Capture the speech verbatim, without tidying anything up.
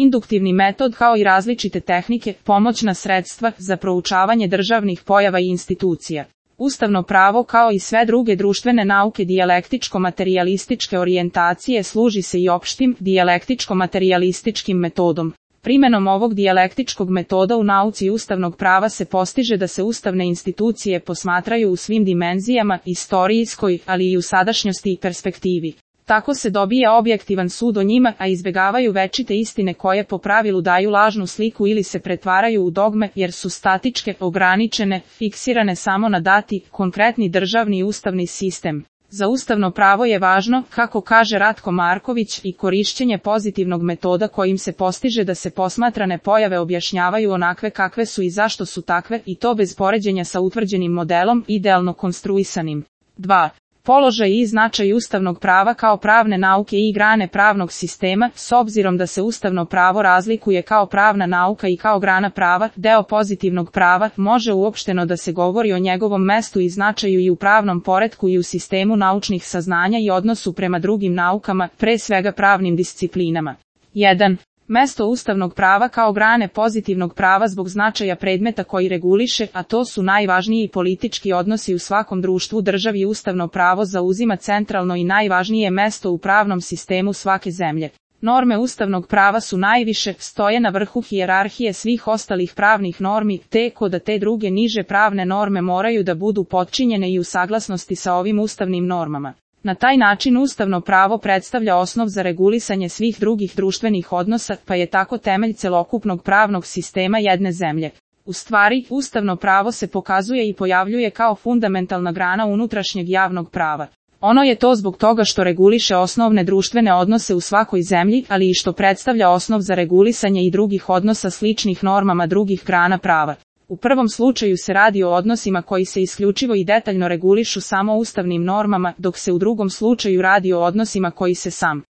Induktivni metod kao i različite tehnike, pomoćna sredstva za proučavanje državnih pojava i institucija. Ustavno pravo kao i sve druge društvene nauke dijalektičko-materijalističke orijentacije služi se i opštim dijalektičko-materijalističkim metodom. Primenom ovog dijalektičkog metoda u nauci ustavnog prava se postiže da se ustavne institucije posmatraju u svim dimenzijama, istorijskoj, ali i u sadašnjosti i perspektivi. Tako se dobija objektivan sud o njima, a izbegavaju večite istine koje po pravilu daju lažnu sliku ili se pretvaraju u dogme, jer su statičke, ograničene, fiksirane samo na dati, konkretni državni i ustavni sistem. Za ustavno pravo je važno, kako kaže Ratko Marković, i korišćenje pozitivnog metoda kojim se postiže da se posmatrane pojave objašnjavaju onakve kakve su i zašto su takve, i to bez poređenja sa utvrđenim modelom, idealno konstruisanim. dva. Položaj i značaj ustavnog prava kao pravne nauke i grane pravnog sistema, s obzirom da se ustavno pravo razlikuje kao pravna nauka i kao grana prava, deo pozitivnog prava, može uopšteno da se govori o njegovom mestu i značaju i u pravnom poretku i u sistemu naučnih saznanja i odnosu prema drugim naukama, pre svega pravnim disciplinama. jedan. Mesto ustavnog prava kao grane pozitivnog prava zbog značaja predmeta koji reguliše, a to su najvažniji politički odnosi u svakom društvu, državi. Ustavno pravo zauzima centralno i najvažnije mesto u pravnom sistemu svake zemlje. Norme ustavnog prava su najviše, stoje na vrhu hijerarhije svih ostalih pravnih normi, teko da te druge niže pravne norme moraju da budu potčinjene i u saglasnosti sa ovim ustavnim normama. Na taj način ustavno pravo predstavlja osnov za regulisanje svih drugih društvenih odnosa, pa je tako temelj celokupnog pravnog sistema jedne zemlje. U stvari, ustavno pravo se pokazuje i pojavljuje kao fundamentalna grana unutrašnjeg javnog prava. Ono je to zbog toga što reguliše osnovne društvene odnose u svakoj zemlji, ali i što predstavlja osnov za regulisanje i drugih odnosa sličnih normama drugih grana prava. U prvom slučaju se radi o odnosima koji se isključivo i detaljno regulišu samo ustavnim normama, dok se u drugom slučaju radi o odnosima koji se sam